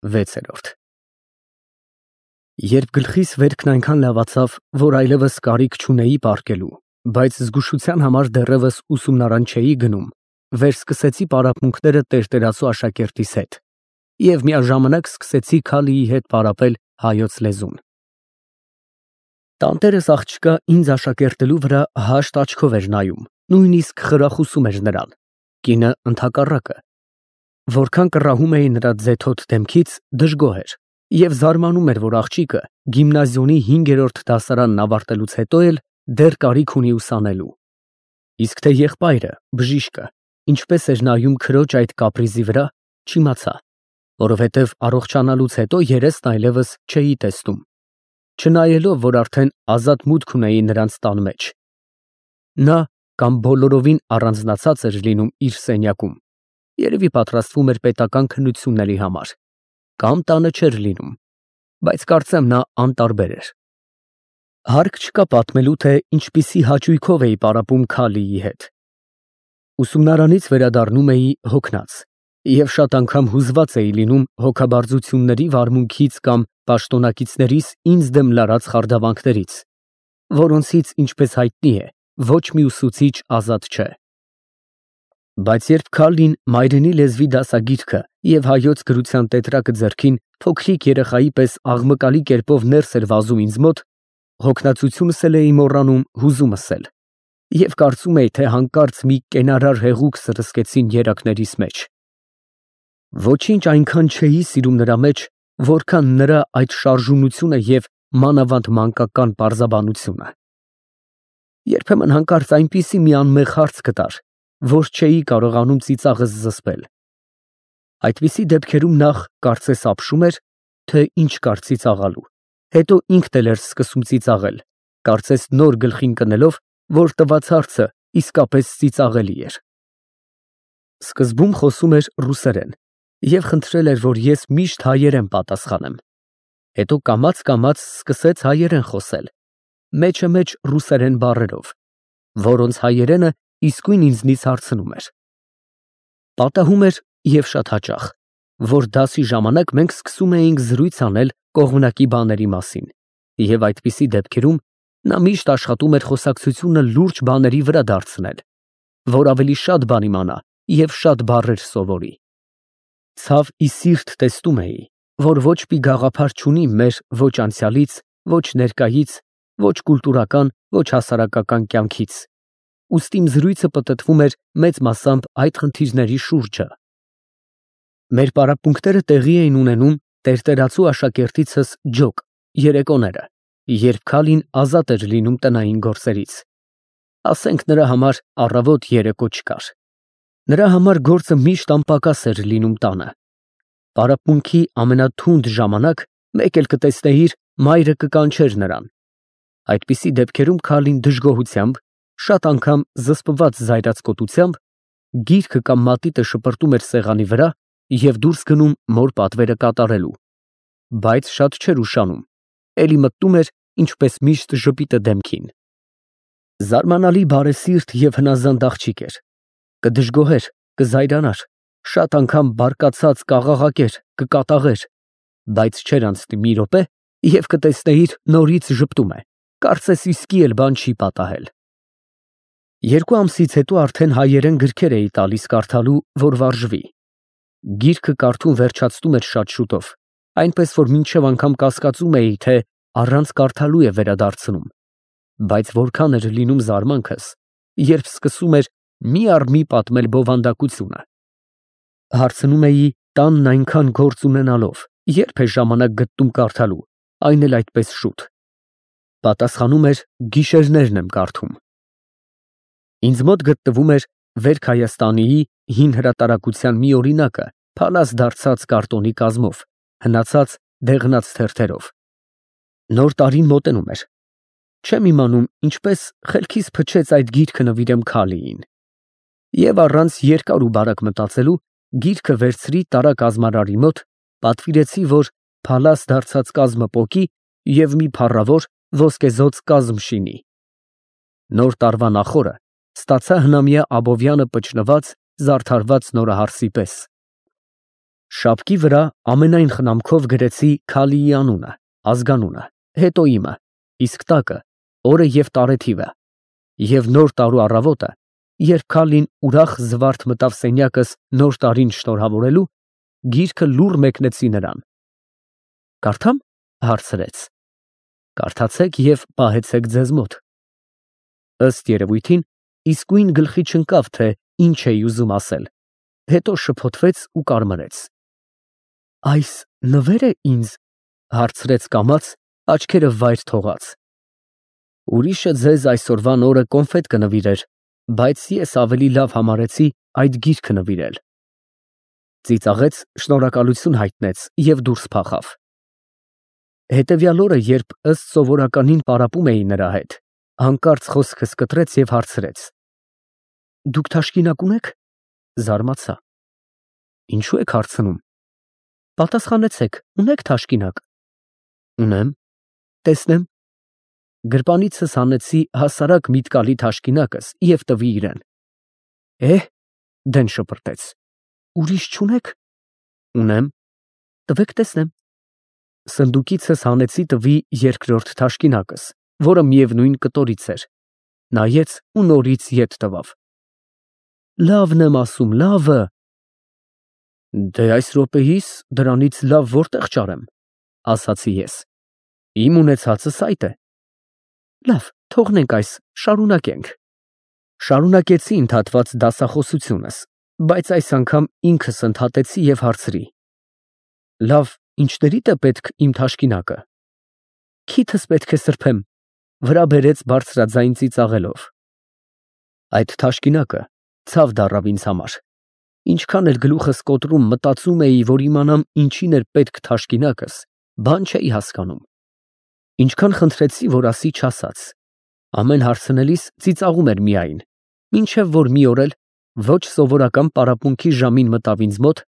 6-րդ Երբ գլխիս վերքն այնքան լավացավ, որ այլևս կարիք չունեի պառկելու, բայց զգուշության համար դեռևս ուսումնարան չէի գնում, վերսկսեցի պարապմունքները տերտերացու աշակերտիս հետ և միաժամանակ սկսեցի Քալիի հետ պարապել հայոց լեզուն։ Տանտերս աղջկա ինձ աշակերտելու վրա հաշտ աչքով էր նայում, նույնիսկ խրախուսում էր նրան, կինը ընդհակառակը։ Որքան կռահում էի նրա ձեթոտ դեմքից, դժգոհ էր և զարմանում էր, որ աղջիկը գիմնազիոնի 5-րդ դասարանն ավարտելուց հետո էլ դեռ կարիք ունի ուսանելու։ Իսկ թե եղբայրը, բժիշկը, ինչպես էր նայում քրոջ այդ կապրիզի վրա, չիմացա, որովհետև առողջանալուց հետո երեսն այլևս չէի տեսնում, չնայելով, որ արդեն ազատ մուտք ունեի նրանց տան մեջ։ Նա կամ բոլորովին առանձնացած էր լինում իր սենյակում, երևի պատրաստվում էր պետական քննությունների համար, կամ տանը չէր լինում, բայց կարծեմ նա անտարբեր էր։ Հարկ չկա պատմելու, թե ինչպիսի հաճույքով էի պարապում Քալիի հետ։ Ուսումնարանից վերադառնում էի հոգնած և շատ անգամ հուզված էի լինում հոգաբարձությունների վարմունքից կամ պաշտոնակիցներիս ինձ դեմ լարած խարդավանքներից, որոնցից, ինչպես հայտնի է, ոչ մի ուսուցիչ ազատ չէ։ Բայց երբ Քալին մայրենի լեզվի դասագիրքը և հայոց գրության տետրակը ձեռքին փոքրիկ երեխայի պես աղմկալի կերպով ներս էր վազում ինձ մոտ, հոգնածությունս էլ էի մոռանում հուզումս էլ, և կարծում էի, թե հանկարծ մի կենարար հեղուկ սրսկեցին երակներիս մեջ։ Ոչինչ այնքան չէի սիրում նրա մեջ, որքան նրա այդ շարժունությունը և մանավանդ մանկական պարզաբանությունը։ Երբեմն հանկարծ այնպիսի մի անմեղ հարց կտար, որ չէի կարողանում ծիծաղս զսպել։ Այդպիսի դեպքերում նախ կարծես ապշում էր, թե ինչ կար ծիծաղալու, հետո ինքն էլ էր սկսում ծիծաղել, կարծես նոր գլխին կնելով, որ տված հարցը իսկապես ծիծաղելի էր։ Սկզբում խոսում էր ռուսերեն և խնդրել էր, որ ես միշտ հայերեն պատասխանեմ, հետո կամաց սկսեց հայերեն խոսել, մեջը մեջ ռուսերեն բառերով, որոնց հայերենը իսկույն ինձնից հարցնում էր։ Պատահում էր և շատ հաճախ, որ դասի ժամանակ մենք սկսում էինք զրույց անել կողմնակի բաների մասին, և այդպիսի դեպքերում նա միշտ աշխատում էր խոսակցությունը լուրջ բաների վրա դարձնել, որ ավելի շատ բան իմանա և շատ բառեր սովորի։ Ցավ ի սիրտ տեսնում էի, որ ոչ մի գաղափար չունի մեր ոչ անցյալից, ոչ ներկայից, ոչ կուլտուրական, ոչ հասարակական կյանքից, ուստի իմ զրույցը պտտվում էր մեծ մասամբ այդ խնդիրների շուրջը։ Մեր պարապմունքները տեղի էին ունենում տերտերացու աշակերտիցս ջոկ երեկոները, երբ Քալին ազատ էր լինում տնային գործերից, ասենք նրա համար առավոտ երեկո չկար։ Նրա համար գործը միշտ անպակաս էր լինում տանը։ Պարապմունքի ամենաթունդ ժամանակ մեկ էլ կտեսնեիր, մայրը կկանչեր նրան։ Այդպիսի դեպքերում Քալին դժգոհությամբ, շատ անգամ զսպված զայրացկոտությամբ, գիրքը կամ մատիտը շպրտում էր սեղանի վրա և դուրս գնում մոր պատվերը կատարելու, բայց շատ չէր ուշանում, էլի մտնում էր, ինչպես միշտ, ժպիտը դեմքին։ Զարմանալի բարեսիրտ և հնազանդ աղջիկ էր, կդժգոհեր, կզայրանար, շատ անգամ բարկացած կաղաղակեր, կկատաղեր, բայց չէր անցնի մի րոպե, և կտեսնեիր նորից ժպտում է, կարծես իսկի էլ բան չի պատահել։ 2 ամսից հետո արդեն հայերեն գրքեր էի տալիս կարդալու, որ վարժվի։ Գիրքը կարդում վերջացնում էր շատ շուտով, այնպես որ մինչև անգամ կասկածում էի, թե առանց կարդալու է վերադարձնում, բայց որքան էր լինում զարմանքս, երբ սկսում էր մի առ մի պատմել բովանդակությունը։ Հարցնում էի տանն այնքան գործ ունենալով, երբ է ժամանակ գտնում կարդալու, այն էլ այդպես շուտ։ Պատասխանում էր գիշերներն եմ կարդում։ Ինձ մոտ գտնվում էր Վերք Հայաստանիի հին հրատարակության մի օրինակը փալաս դարձած կարտոնի կազմով, հնացած դեղնած թերթերով։ Նոր տարին մոտենում էր։ Չեմ իմանում ինչպես խելքիս փչեց այդ գիրքը նվիրեմ Քալիին։ Եվ առանց երկար ու բարակ մտածելու գիրքը վերցրի տարակազմարարի մոտ, պատվիրեցի, որ փալաս դարձած կազմը պոկի և մի փառավոր ոսկեզօծ կազմ շինի։ Նոր տարվա նախօրը ստացա հնամյա Աբովյանը պճնված, զարդարված նորահարսի պես։ Շապկի վրա ամենայն խնամքով գրեցի Քալիի անունը, ազգանունը, հետո իմը, իսկ տակը օրը և տարեթիվը, և նոր տարու առավոտը, երբ Քալին ուրախ զվարթ մտավ սենյակս նոր տարին շնորհավորելու, գիրքը լուռ մեկնեցի նրան։ «Կարդամ» հարցրեց։ «Կարդացեք և պահեցեք ձեզ մոտ»։ Ըստ երևույթին, իսկույն գլխի չընկավ, թե ինչ էի ուզում ասել, հետո շփոթվեց ու կարմրեց։ «Այս նվեր է ինձ» հարցրեց կամաց, աչքերը վայր թողած։ «Ուրիշը ձեզ այսօրվան օրը կոնֆետ կնվիրեր, բայց ես ավելի լավ համարեցի այդ գիրքը նվիրել»։ Ծիծաղեց, շնորհակալություն հայտնեց և դուրս փախավ։ Հետևյալ օրը, երբ ըստ սովորականին պարապում էի նրա հետ, հանկարծ խոսքս կտրեց և հարցրեց. «Դուք թաշկինակ ունե՞ք»։ Զարմացա։ «Ինչու եք հարցնում»։ Պատասխանեցեք, ունե՞ք թաշկինակ։ Ունեմ։ Տեսնեմ։ Գրպանիցս հանեցի հասարակ միտկալի թաշկինակս և տվի իրան։ Դեն շպրտեց։ Ուրիշ չունե՞ք։ Ունեմ։ Տվեք տեսնեմ։ Սնդուկիցս հանեցի տվի երկրորդ թաշկինակս, որը միևնույն կտորից էր։ Նայեց ու նորից ետ տվավ։ Լավն եմ ասում, լավը։ Դե այս րոպեիս դրանից լավ որտեղ ճարեմ, ասացի ես։ Իմ ունեցածս այդ է։ Լավ, թողնենք այս, շարունակենք։ Շարունակեցի ընդհատված դասախոսությունս, բայց այս անգամ ինքս ընդհատեցի և հարցրի. Լավ, ինչներիդ է պետք իմ թաշկինակը։ Քիթս պետք է սրբեմ, վրա բերեց բարձրաձայն ծիծաղելով։ Այդ թաշկինակը ցավ դառավ ինձ համար։ Ինչքան էլ գլուխս կոտրում մտածում էի, որ իմանամ ինչին էր պետք թաշկինակս, բան չէի հասկանում։ Ինչքան խնդրեցի, որ ասի, չասաց։ Ամեն հարցնելիս ծիծաղում էր միայն, մինչև որ մի օր էլ ոչ սովորական պարապմունքի ժամին մտավ ինձ մոտ,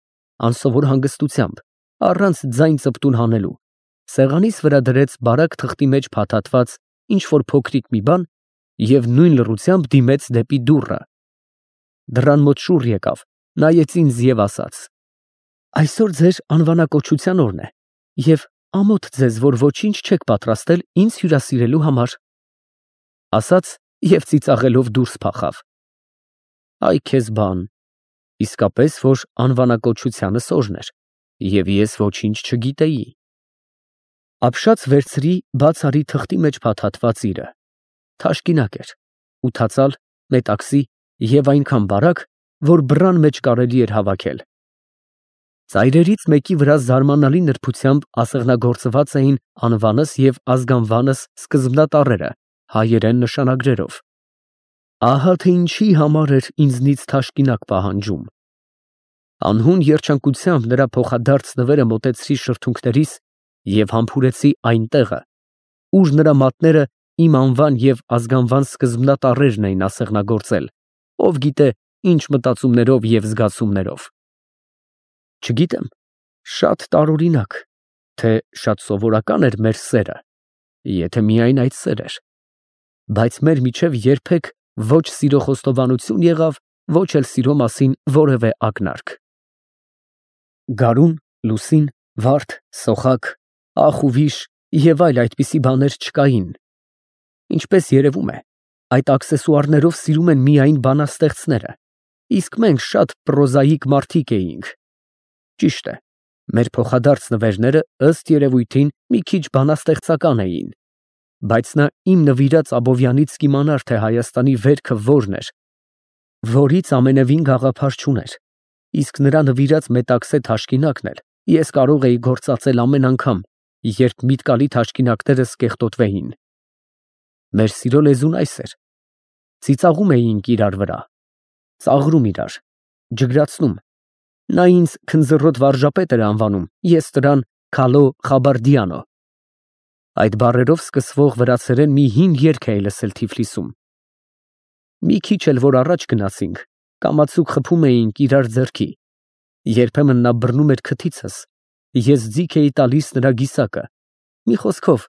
անսովոր հանգստությամբ, առանց ձայն ծպտուն հանելու, սեղանիս վրա դրեց բարակ թղթի մեջ փաթաթված ինչ֊որ փոքրիկ մի բան և նույն լռությամբ դիմեց դեպի դուռը։ Դռան մոտ շուռ եկավ, նայեց ինձ և ասաց. Այսօր ձեր անվանակոչության օրն է և ամոթ ձեզ, որ ոչինչ չեք պատրաստել ինձ հյուրասիրելու համար։ Ասաց և ծիծաղելով դուրս փախավ։ Այ քեզ բան, իսկապես որ անվանակոչությանս օրն էր, և ես ոչինչ չգիտեի։ Ապշած վերցրի բաց արի թղթի մեջ փաթաթված իրը։ Թաշկինակ էր, ութածալ, մետաքսի և այնքան բարակ, որ բռան մեջ կարելի էր հավաքել։ Ծայրերից մեկի վրա զարմանալի նրբությամբ ասեղնագործված էին անվանս և ազգանվանս սկզբնատառերը հայերեն նշանագրերով։ Ահա թե ինչի համար էր ինձնից թաշկինակ պահանջում։ Անհուն երջանկությամբ նրա փոխադարձ նվերը մոտեցրի շրթունքներիս և համբուրեցի այն տեղը, ուր նրա մատները իմ անվան և ազգանվան սկզբնատառերն էին ասեղնագործել, ով գիտե ինչ մտածումներով և զգացումներով։ Չգիտեմ, շատ տարօրինակ, թե շատ սովորական էր մեր սերը, եթե միայն այդ սեր էր, բայց մեր միջև երբեք ոչ սիրո խոստովանություն եղավ, ոչ էլ սիրո մասին որևէ ակնարկ։ Գարուն, լուսին, վարդ, սոխակ, ախ ու վիշ և այլ այդպիսի բաներ չկային։ Ինչպես երևում է, այդ աքսեսուարներով սիրում են միայն բանաստեղծները, իսկ մենք շատ պրոզաիկ մարդիկ էինք։ Ճիշտ է, մեր փոխադարձ նվերները ըստ երևույթին մի քիչ բանաստեղծական էին, բայց նա իմ նվիրած Աբովյանից կիմանար, թե Հայաստանի վերքը որն էր, որից ամենևին գաղափար չուներ, իսկ նրա նվիրած մետաքսե թաշկինակն էլ ես կարող էի գործածել ամեն անգամ, երբ միտկալի թաշկինակներս կեղտոտվեին։ Մեր սիրո լեզուն այս էր. ծիծաղում էինք իրար վրա, ծաղրում իրար, ջգրացնում։ Նա ինձ քնձռոտ վարժապետ էր անվանում, ես նրան Քալո Խաբարդիանո։ Այդ բառերով սկսվող վրացերեն մի հին երգ էի լսել Թիֆլիսում։ Մի քիչ էլ որ առաջ գնացինք, կամացուկ խփում էինք իրար ձեռքի, երբեմն նա բռնում էր քթիցս, ես ձիգ էի տալիս նրա գիսակը, մի խոսքով,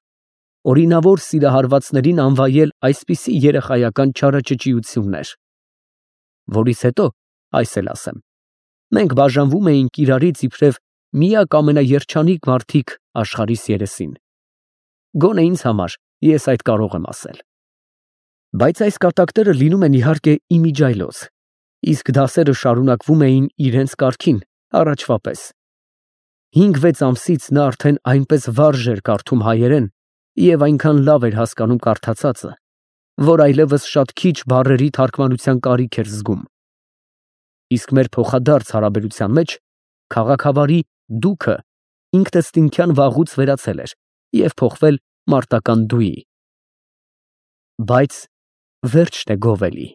օրինավոր սիրահարվածներին անվայել այսպիսի երեխայական չարաճճիություններ։ Որից հետո, այս էլ ասեմ, մենք բաժանվում էինք իրարից իբրև միակ ամենաերջանիկ մարդիկ աշխարհիս երեսին։ Գոնե ինձ համար ես այդ կարող եմ ասել։ Բայց այս կատակները լինում են իհարկե իմիջիայլոց, իսկ դասերը շարունակվում էին իրենց կարգին, առաջվա պես։ 5-6 ամսից նա արդեն այնպես վարժ էր կարդում հայերեն և այնքան լավ էր հասկանում կարդացածը, որ այլևս շատ քիչ բառերի թարգմանության կարիք էր զգում։ Իսկ մեր փոխադարձ հարաբերության մեջ քաղաքավարի դուքը ինքնըստինքյան վաղուց վերացել էր և փոխվել մարտական դուի։ Բայց վերջն է գովելի։